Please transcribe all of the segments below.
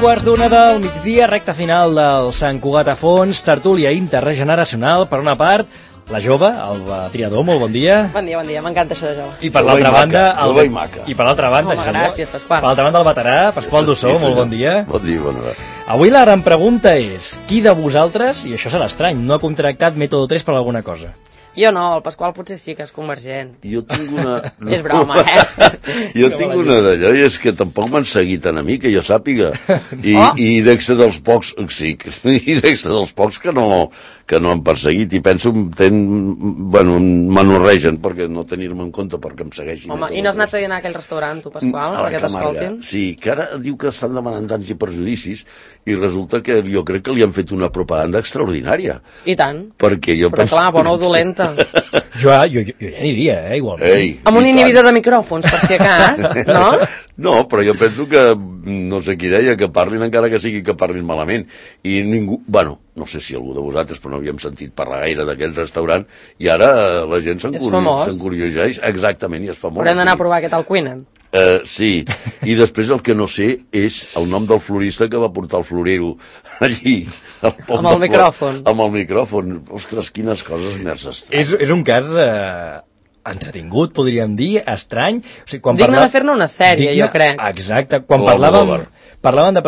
2:15 del migdia, recta final del Sant Cugat a Fons, tertúlia interregeneracional. Per una part, la jove, el triador, molt bon dia. Bon dia, m'encanta això de jove. I per l'altra banda, jove i maca. I per l'altra banda, gràcies, Pasqual. Per l'altra banda, el veterà, Pasqual Dussó, molt bon dia. Bon dia, bona hora. Avui la gran pregunta és, qui de vosaltres, i això serà estrany, no ha contractat Método 3 per alguna cosa? Jo no, el Pasqual potser sí que és convergent. Jo tinc una... És broma, Jo tinc una d'allò, i és que tampoc m'han seguit a mi, que jo sàpiga. I dec ser dels pocs... Sí, i dec ser dels pocs que no han perseguit. I penso, m'anorregen perquè no tenir-me en compte perquè em segueixin. Home, i no has anat a dinar a aquell restaurant, tu, Pasqual, perquè t'escoltin? Sí, que ara diu que estan demanant danys i perjudicis i resulta que jo crec que li han fet una propaganda extraordinària. I tant. Perquè jo penso... Però clar, bona o dolenta. Jo ja aniria, igualment. Amb un inhibidor de micròfons, per si acas, no? No, però jo penso que, no sé qui deia, que parlin encara que sigui que parlin malament. I ningú, no sé si algú de vosaltres, però no havíem sentit parlar gaire d'aquest restaurant, i ara la gent s'encurioseix. Exactament, i és famós. Haurem d'anar a provar què tal cuinen. Sí, i després el que no sé és el nom del florista que va portar el florero allí. Amb el micròfon. Amb el micròfon. Ostres, quines coses més estranyes. És un cas entretingut, podríem dir, estrany. O sigui, digne de fer-ne una sèrie, jo crec. Exacte, quan parlàvem de parlàvem de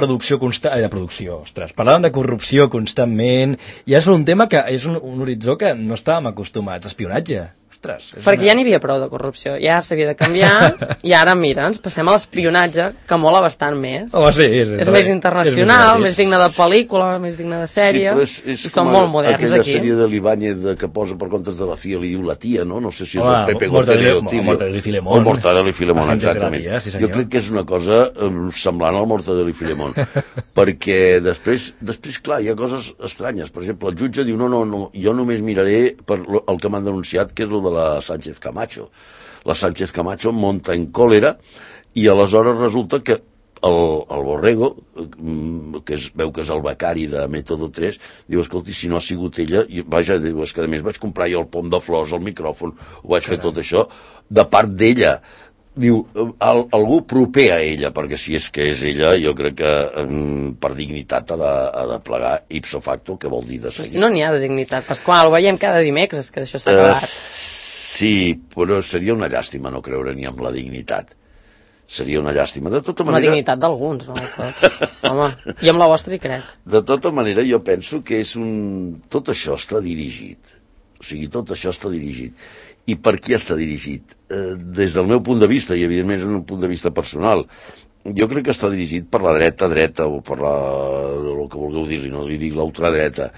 corrupció constantment, i és un tema que és un horitzó que no estàvem acostumats, espionatge. Perquè ja n'hi havia prou de corrupció, ja s'havia de canviar, i ara, mira, ens passem a l'espionatge, que mola bastant més. Home, sí, és més internacional, més digne de pel·lícula, més digne de sèrie, i són molt moderns aquí. Aquella sèrie de l'Ibáñez que posa per comptes de la CIA li diu la tia, no? No sé si és el Pepe Gotero o Mortadelo i Filemón. O Mortadelo i Filemón, exactament. Jo crec que és una cosa semblant al Mortadelo i Filemón, perquè després, clar, hi ha coses estranyes. Per exemple, el jutge diu, no, jo només miraré per el que m'han denunciat, que és el de la Sánchez Camacho. La Sánchez Camacho monta en còlera i aleshores resulta que el Borrego, que veu que és el becari de Método 3, diu, escolti, si no ha sigut ella, diu, és que a més vaig comprar jo el pom de flors, el micròfon, ho vaig fer tot això, de part d'ella. Diu, algú proper a ella, perquè si és que és ella, jo crec que per dignitat ha de plegar ipso facto, que vol dir de seguir. Però si no n'hi ha de dignitat, Pasqual, ho veiem cada dimecres, que això s'ha acabat. Sí, però seria una llàstima no creure ni amb la dignitat. Seria una llàstima. De tota manera... La dignitat d'alguns, no de tots. Home, i amb la vostra hi crec. De tota manera, jo penso que és tot això està dirigit. O sigui, tot això està dirigit. I per qui està dirigit? Des del meu punt de vista, i evidentment és un punt de vista personal, jo crec que està dirigit per la dreta, o per el que vulgueu dir-li, no li dic l'ultradreta.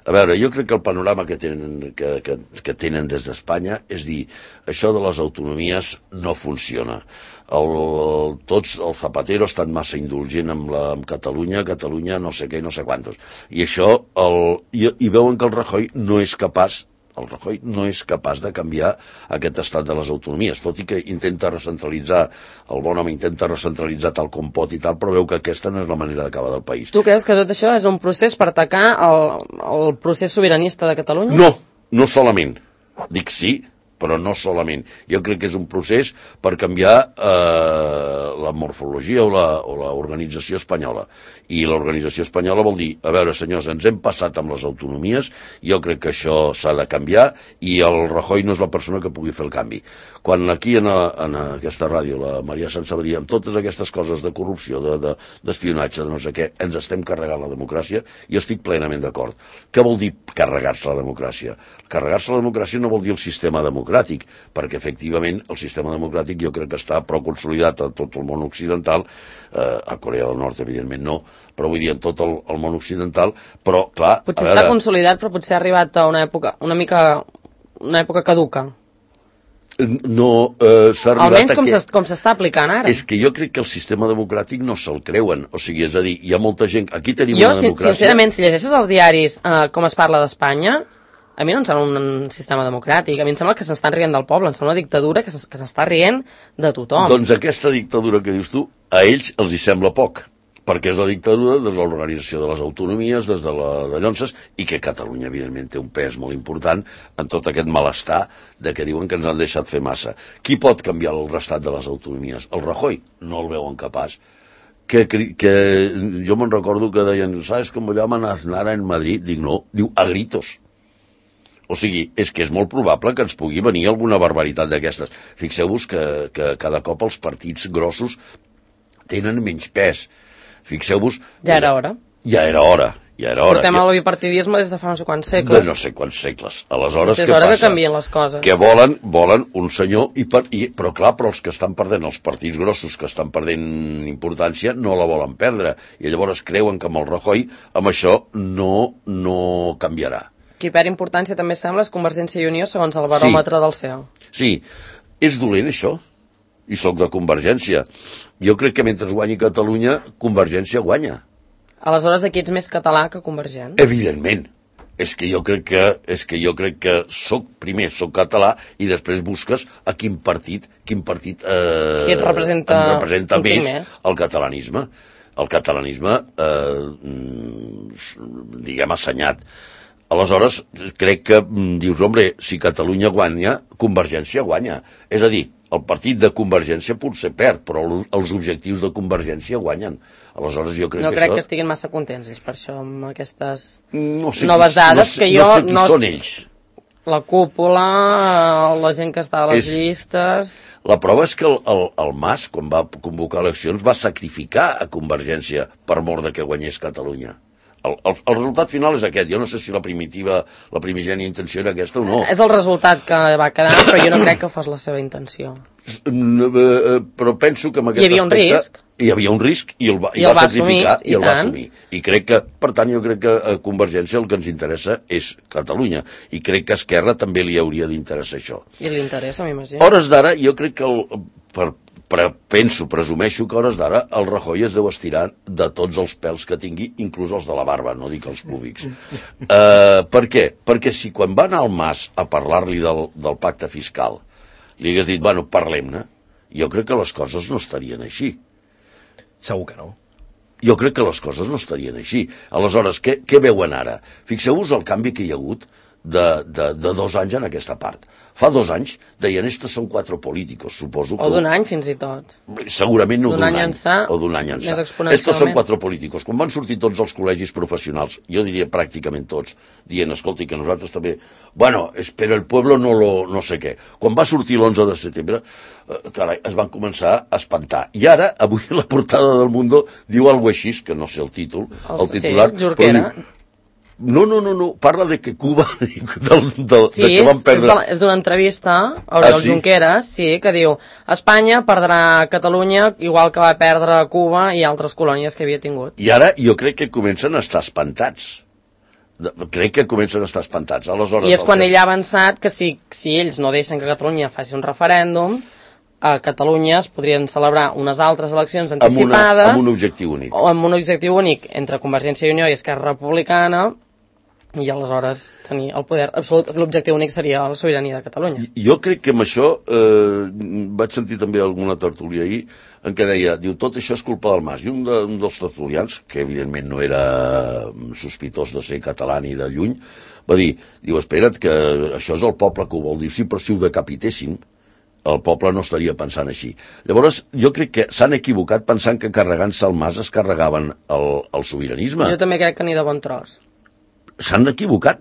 A veure, jo crec que el panorama que tenen des d'Espanya és dir, això de les autonomies no funciona. Tots, el Zapatero ha estat massa indulgent amb Catalunya no sé què i no sé quantos. I això, i veuen que el Rajoy no és capaç de canviar aquest estat de les autonomies, tot i que intenta recentralitzar, el bon home intenta recentralitzar tal com pot i tal, però veu que aquesta no és la manera d'acabar del país. Tu creus que tot això és un procés per atacar el procés sobiranista de Catalunya? No solament. Dic sí, però no solament. Jo crec que és un procés per canviar la morfologia o l'organització espanyola. I l'organització espanyola vol dir, a veure, senyors, ens hem passat amb les autonomies, jo crec que això s'ha de canviar i el Rajoy no és la persona que pugui fer el canvi. Quan aquí en aquesta ràdio, la Maria Sança va dir, amb totes aquestes coses de corrupció, d'espionatge, de no sé què, ens estem carregant la democràcia, jo estic plenament d'acord. Què vol dir carregar-se la democràcia? Carregar-se la democràcia no vol dir el sistema democràtic, perquè efectivament el sistema democràtic jo crec que està prou consolidat a tot el món occidental, a Corea del Nord evidentment no, però vull dir en tot el món occidental, però clar... Potser està consolidat, però potser ha arribat a una època caduca. No, s'ha arribat almenys com s'està aplicant ara. És que jo crec que el sistema democràtic no se'l creuen, o sigui, és a dir, hi ha molta gent... Aquí tenim una democràcia... Sincerament, si llegeixes els diaris com es parla d'Espanya, a mi no em sembla un sistema democràtic, a mi em sembla que s'estan rient del poble, em sembla una dictadura que s'està rient de tothom. Doncs aquesta dictadura que dius tu, a ells els hi sembla poc, perquè és la dictadura de l'organització de les autonomies, des de Llonses, i que Catalunya, evidentment, té un pes molt important en tot aquest malestar de que diuen que ens han deixat fer massa. Qui pot canviar el restat de les autonomies? El Rajoy no el veuen capaç. que jo me'n recordo que deien, ¿sabes cómo llaman a Aznar en Madrid? Dic, no, diu a gritos. O sigui, és que és molt probable que ens pugui venir alguna barbaritat d'aquestes. Fixeu-vos que cada cop els partits grossos tenen menys pes. Fixeu-vos... Ja era hora. Ja era hora. Portem el bipartidisme des de fa no sé quants segles. De no sé quants segles. Aleshores, és què hora passa? que canvien les coses. Que volen un senyor, però clar, però els que estan perdent, els partits grossos que estan perdent importància, no la volen perdre. I llavors creuen que amb el Rajoy, amb això, no canviarà. Qui perd importància també sembla és Convergència i Unió, segons el baròmetre del CEO. Sí, és dolent això. I sóc de Convergència. Jo crec que mentre guanyi Catalunya, Convergència guanya. Aleshores, aquí ets més català que convergent. Evidentment. És que jo crec que primer soc català i després busques a quin partit qui et representa més el catalanisme. El catalanisme, diguem, assenyat. Aleshores, crec que dius, hombre, si Catalunya guanya, Convergència guanya. És a dir, el partit de Convergència potser perd, però els objectius de Convergència guanyen. Aleshores, jo crec no que crec això... que estiguin massa contents, és per això, amb aquestes noves dades que jo... No sé qui són ells. La cúpula, la gent que està a les llistes... La prova és que el Mas, quan va convocar eleccions, va sacrificar a Convergència per mort de que guanyés Catalunya. El resultat final és aquest. Jo no sé si la primigènia intenció era aquesta o no. És el resultat que va quedar, però jo no crec que fos la seva intenció. Però penso que amb aquest aspecte... Hi havia un risc i el va sacrificar i el va assumir. I crec que, per tant, jo crec que a Convergència el que ens interessa és Catalunya. I crec que a Esquerra també li hauria d'interessar això. I li interessa, m'imagino. Hores d'ara, jo crec que presumeixo que a hores d'ara el Rajoy es deu estirar de tots els pèls que tingui, inclús els de la barba, no dic els públics. Per què? Perquè si quan va anar al Mas a parlar-li del pacte fiscal li hagués dit, bueno, parlem-ne, jo crec que les coses no estarien així. Segur que no. Jo crec que les coses no estarien així. Aleshores, què veuen ara? Fixeu-vos el canvi que hi ha hagut de 2 anys en aquesta part. Fa 2 anys deien, estos són 4 políticos, suposo que... O d'un any, fins i tot. Segurament no d'un any. O d'un any ençà. Estos són 4 políticos. Quan van sortir tots els col·legis professionals, jo diria pràcticament tots, dient, escolti, que nosaltres també... Bueno, pero el pueblo no sé què. Quan va sortir l'11 de setembre, carai, es van començar a espantar. I ara, avui la portada del Mundo diu alguna cosa així, que no sé el títol, el titular... Sí, Jorquera. No, parla de que Cuba, de que van perdre... Sí, és d'una entrevista a Oriol Junqueras, sí, que diu Espanya perdrà Catalunya igual que va perdre Cuba i altres colònies que havia tingut. I ara jo crec que comencen a estar espantats. Aleshores, i és quan ell ha avançat que si ells no deixen que Catalunya faci un referèndum, a Catalunya es podrien celebrar unes altres eleccions anticipades amb un objectiu únic. O amb un objectiu únic entre Convergència i Unió i Esquerra Republicana, i aleshores tenir el poder absolut. L'objectiu únic seria la sobirania de Catalunya. Jo crec que amb això vaig sentir també alguna tertúlia ahir en què deia, diu, tot això és culpa del Mas. I un dels tertulians, que evidentment no era sospitós de ser català ni de lluny, va dir, diu, espera't, que això és el poble que ho vol. Diu, sí, però si ho decapitéssim, el poble no estaria pensant així. Llavors, jo crec que s'han equivocat pensant que carregant-se el Mas es carregaven el sobiranisme. Jo també crec que ni de bon tros. S'han equivocat,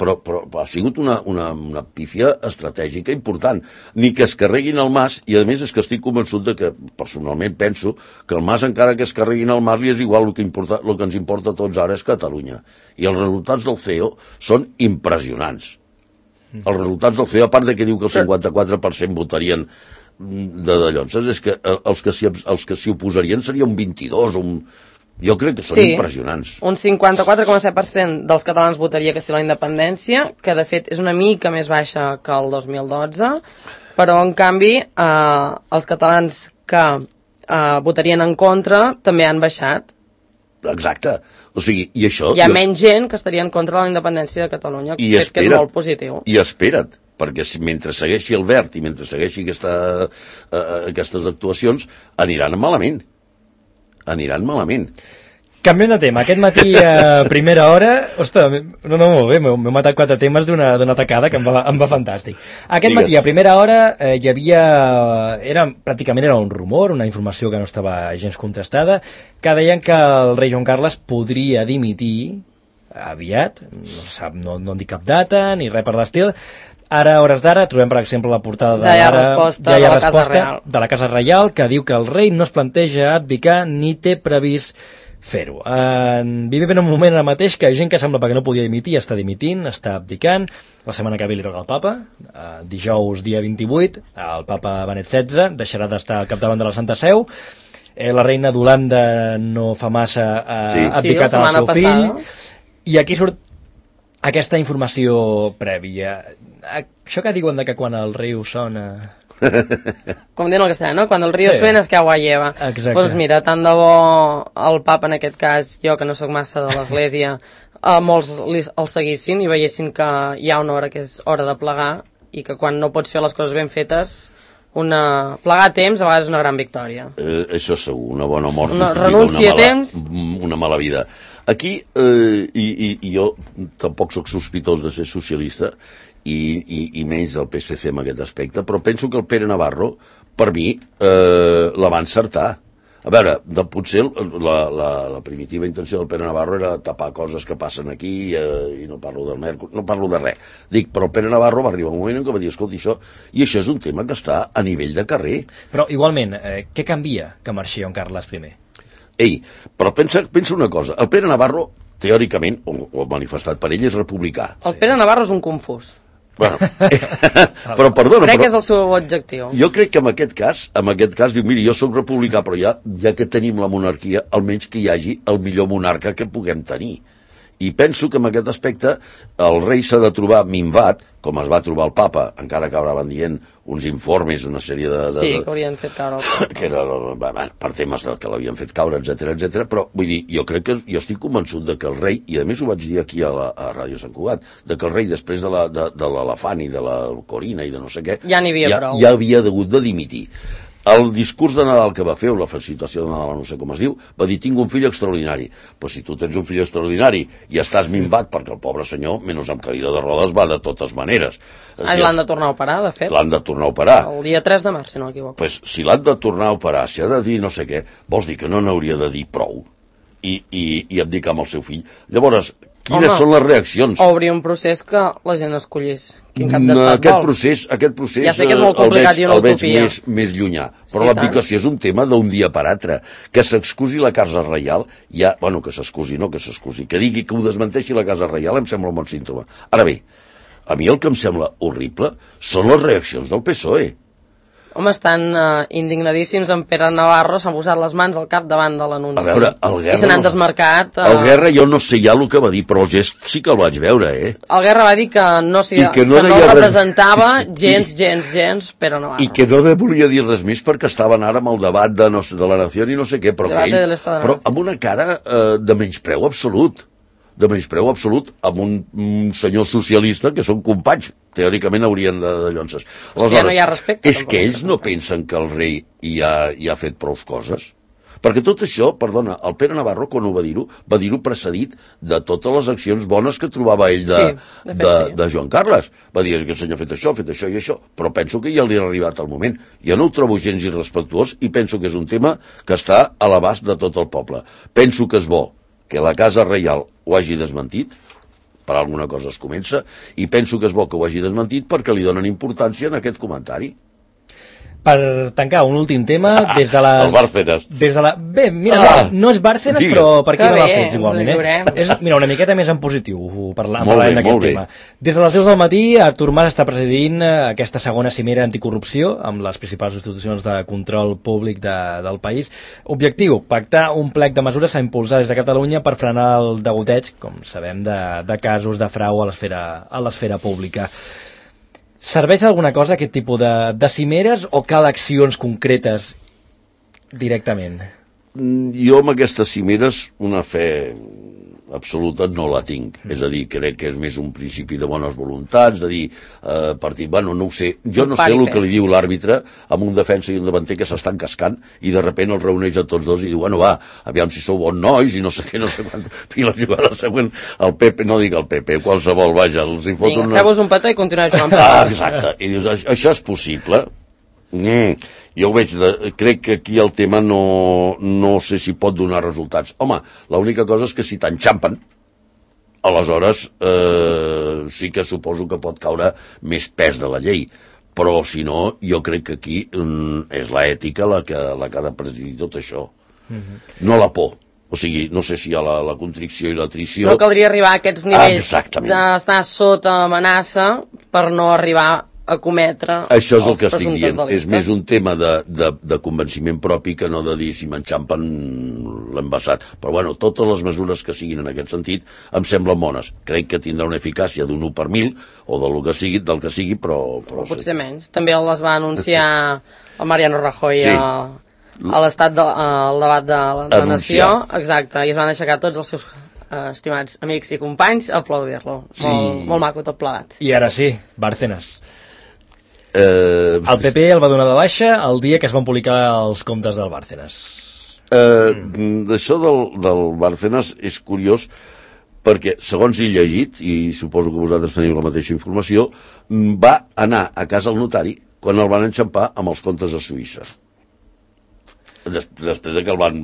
però ha sigut una pífia estratègica important. Ni que es carreguin el Mas, i a més és que estic convençut de que, personalment penso, que el Mas, encara que es carreguin el Mas, li és igual, el que ens importa a tots ara és Catalunya. I els resultats del CEO són impressionants. Els resultats del CEO, a part de que diu que el 54% votarien d'allò, és que els que s'hi oposarien seria un 22 o un... Jo crec que són impressionants. Un 54,7% dels catalans votaria que sí a la independència, que de fet és una mica més baixa que el 2012, però en canvi els catalans que votarien en contra també han baixat. Exacte. O sigui, i això... Hi ha menys gent que estaria en contra de la independència de Catalunya, que és molt positiu. I espera't, perquè mentre segueixi el verd i mentre segueixi aquestes actuacions, aniran malament. Canviem de tema. Aquest matí a primera hora... Ostres, no, molt bé, m'he matat 4 temes d'una tacada que em va fantàstic. Aquest matí a primera hora hi havia... Pràcticament era un rumor, una informació que no estava gens contrastada, que deien que el rei Joan Carles podria dimitir aviat, no en dic cap data ni res per l'estil. Ara, a hores d'ara, trobem, per exemple, la portada de ja hi ha resposta de la Casa Reial, que diu que el rei no es planteja abdicar ni té previst fer-ho. Vivim en un moment ara mateix que gent que sembla que no podia dimitir està dimitint, està abdicant. La setmana que ve li toca al papa, dijous dia 28, el papa Benet XVI deixarà d'estar al capdavant de la Santa Seu. La reina d'Holanda no fa massa ha abdicat al seu fill. I aquí surt aquesta informació prèvia. Això que diuen que quan el riu sona... Com diuen el castellà, no? Quan el riu suena es que agua lleva. Exacte. Doncs mira, tant de bo el papa en aquest cas, jo que no sóc massa de l'església, molts el seguissin i veiessin que hi ha una hora que és hora de plegar i que quan no pots fer les coses ben fetes, plegar a temps a vegades és una gran victòria. Això segur, una bona mort renúncia a temps, una mala vida. Aquí, i jo tampoc sóc sospitós de ser socialista i menys del PSC en aquest aspecte, però penso que el Pere Navarro, per mi, la va encertar. A veure, potser la primitiva intenció del Pere Navarro era tapar coses que passen aquí i no parlo del Mercur, no parlo de res. Dic, però el Pere Navarro va arribar un moment en què va dir, escolta, això és un tema que està a nivell de carrer. Però igualment, què canvia que marxi Joan Carles I? Ei, però pensa una cosa, el Pere Navarro, teòricament, o manifestat per ell, és republicà. El Pere Navarro és un confús. Bueno, però perdona... Crec que és el seu objectiu. Jo crec que en aquest cas diu, miri, jo sóc republicà, però ja que tenim la monarquia, almenys que hi hagi el millor monarca que puguem tenir. I penso que en aquest aspecte el rei s'ha de trobar minvat, com es va trobar el papa, encara que acabaven dient uns informes, una sèrie de... Sí, que haurien fet caure el papa. Que era, per temes que l'havien fet caure, etc. Però vull dir, jo crec que jo estic convençut de que el rei, i a més ho vaig dir aquí a Ràdio Sant Cugat, de que el rei després de l'elefant i de la corina i de no sé què, ja n'hi havia prou. Ja havia hagut de dimitir. El discurs de Nadal que va fer, o la felicitació de Nadal, no sé com es diu, va dir, tinc un fill extraordinari. Però si tu tens un fill extraordinari i estàs minvat, perquè el pobre senyor, menys amb cadira de rodes, va de totes maneres. L'han de tornar a operar, de fet. L'han de tornar a operar. El dia 3 de març, si no m'equivoco. Pues, si l'han de tornar a operar, si ha de dir no sé què, vols dir que no n'hauria de dir prou i abdicar amb el seu fill. Llavors, quines són les reaccions? O obrir un procés que la gent escollís quin cap d'estat vol. Aquest procés ja sé que és molt complicat i una utopia. El veig més llunyà, però l'abdicació és un tema d'un dia per altre. Que s'excusi la Casa Reial, que digui que ho desmenteixi la Casa Reial em sembla un bon símptoma. Ara bé, a mi el que em sembla horrible són les reaccions del PSOE. Home, estan indignadíssims en Pere Navarro, s'han posat les mans al cap davant de l'anunci. A veure, el Guerra... I se n'han desmarcat. El Guerra jo no sé ja el que va dir, però el gest sí que el vaig veure, El Guerra va dir que no representava gens Pere Navarro. I que no volia dir res més perquè estaven ara amb el debat de la nació i no sé què, però amb una cara de menyspreu absolut. Amb un senyor socialista que són companys, teòricament haurien de llonces. Ja no hi ha respecte. És que ells no pensen que el rei ja ha fet prou coses? Perquè tot això, perdona, el Pere Navarro, quan ho va dir-ho precedit de totes les accions bones que trobava ell de Joan Carles. Va dir que el senyor ha fet això i això, però penso que ja li ha arribat el moment. Jo no ho trobo gens irrespectuós i penso que és un tema que està a l'abast de tot el poble. Penso que és bo que la Casa Reial ho hagi desmentit, per alguna cosa es comença, i penso que és bo que ho hagi desmentit perquè li donen importància en aquest comentari. Per tancar un últim tema, des de les... Els Bárcenas. Bé, mira, no és Bárcenas, però per aquí no l'ha fet igualment, És, mira, una miqueta més en positiu, parlant d'aquest tema. Des de les 10 del matí, Artur Mas està presidint aquesta segona cimera anticorrupció amb les principals institucions de control públic del país. Objectiu, pactar un plec de mesures a impulsar des de Catalunya per frenar el degoteig, com sabem, de casos de frau a l'esfera pública. Serveix d'alguna cosa aquest tipus de cimeres o cal accions concretes directament? Jo amb aquestes cimeres una fe absoluta no la tinc. És a dir, crec que és més un principi de bones voluntats, de dir, bueno, no ho sé, jo no sé el que li diu l'àrbitre amb un defensa i un davanter que s'estan cascant i de sobte els reuneix a tots dos i diu, bueno, va, aviam si sou bons nois i no sé què, no sé quant. I la jugada següent, el Pepe, no dic el Pepe, qualsevol, vaja, els hi fot una... Feu-vos un petó i continueu jugant. Exacte, i dius, això és possible? Jo ho veig, crec que aquí el tema no sé si pot donar resultats. Home, l'única cosa és que si t'enxampen, aleshores sí que suposo que pot caure més pes de la llei, però si no, jo crec que aquí és l'ètica la que ha de presidir tot això, no la por. O sigui, no sé si hi ha la contricció i l'atrició. No caldria arribar a aquests nivells d'estar sota amenaça per no arribar a cometre això és el que estic dient, delictes. És més un tema de convenciment propi que no de dir si m'enxampen l'embassat, però bueno, totes les mesures que siguin en aquest sentit em semblen bones, crec que tindrà una eficàcia d'un 1 per 1000 o del que sigui, però potser menys, també les va anunciar el Mariano Rajoy a l'estat al debat de la nació, exacte, i es van aixecar tots els seus estimats amics i companys a aplaudir-lo, molt maco tot plegat. I ara sí, Bárcenas. El PP el va donar de baixa el dia que es van publicar els comptes del Bárcenas. D'això del Bárcenas és curiós perquè, segons he llegit, i suposo que vosaltres teniu la mateixa informació, va anar a casa al notari quan el van enxampar amb els comptes a Suïssa. Després de que el van...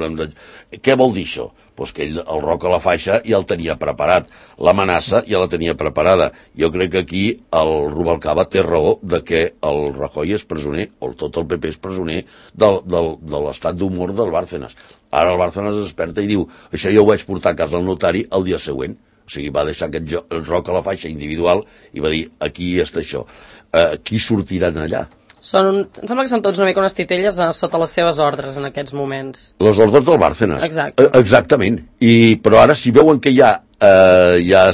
Què vol dir això? Pues que ell, el roc a la faixa, ja el tenia preparat. L'amenaça ja la tenia preparada. Jo crec que aquí el Rubalcaba té raó de que el Rajoy és presoner, o tot el PP és presoner, de l'estat d'humor del Bárcenas. Ara el Bárcenas es desperta i diu, això jo ho vaig portar a casa al notari el dia següent. O sigui, va deixar aquest roc a la faixa individual i va dir, aquí està això. Qui sortiran allà? Em sembla que són tots una mica unes titelles sota les seves ordres en aquests moments. Les ordres del Bárcenas. Exacte. Exactament. Però ara, si veuen que ja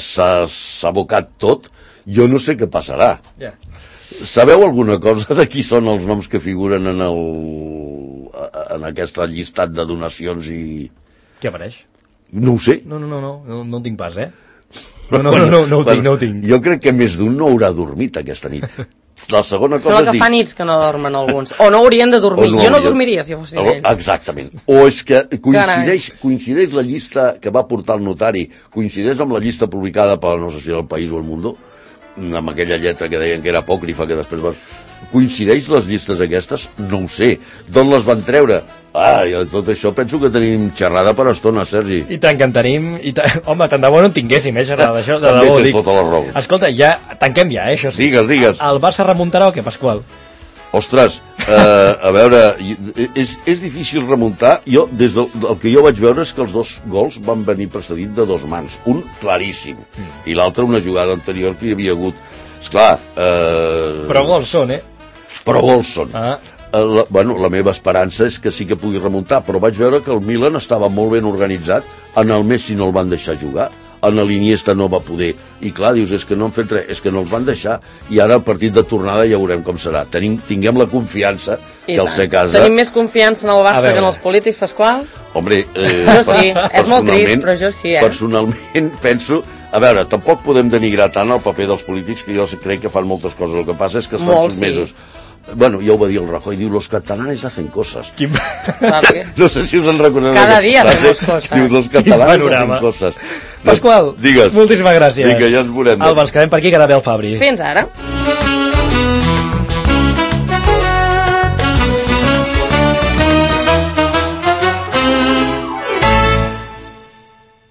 s'ha abocat tot, jo no sé què passarà. Yeah. Sabeu alguna cosa de qui són els noms que figuren en aquest llistat de donacions i... Què apareix? No ho sé. No ho tinc pas, No ho tinc. Jo crec que més d'un no haurà dormit aquesta nit. La segona cosa és dir... fa nits que no dormen alguns. O no haurien de dormir. Jo no dormiria si fossin ells. Exactament. O és que coincideix la llista que va portar el notari, coincideix amb la llista publicada per, no sé si era El País o El Mundo, amb aquella lletra que deien que era apòcrifa, que després va... Coincideix les llistes aquestes? No ho sé. D'on les van treure? Tot això penso que tenim xerrada per estona, Sergi. I tant que en tenim. Home, tant de bo no en tinguéssim, xerrada d'això. També tens tota la raó. Escolta, tanquem ja, això sí. Digues. El Barça remuntarà o què, Pasqual? Ostres, a veure, és difícil remuntar. Jo, des del que jo vaig veure és que els dos gols van venir precedits de 2 mans. Un claríssim, i l'altre una jugada anterior que hi havia hagut. Esclar... Però gols són, Però gols són. La meva esperança és que sí que pugui remuntar, però vaig veure que el Milan estava molt ben organitzat, en el Messi no el van deixar jugar, en l'Iniesta no va poder, i clar, dius, és que no han fet res, és que no els van deixar, i ara el partit de tornada ja veurem com serà. Tinguem la confiança que el ser casa... Tenim més confiança en el Barça que en els polítics, Pasqual? Hombre, jo sí, és molt trist, però jo sí, Personalment penso... A veure, tampoc podem denigrar tant el paper dels polítics, que jo crec que fan moltes coses. El que passa és que estan sotmesos. Bueno, ja ho va dir el Rajoy, diu, los catalanes hacen cosas. No sé si us en recordeu. Cada dia hacemos cosas. Diu, los catalanes hacen cosas. Pasqual, digues. Moltíssimes gràcies. Vinga, ja ens veurem. Alba, ens quedem per aquí, que ara ve el Fabri. Fins ara.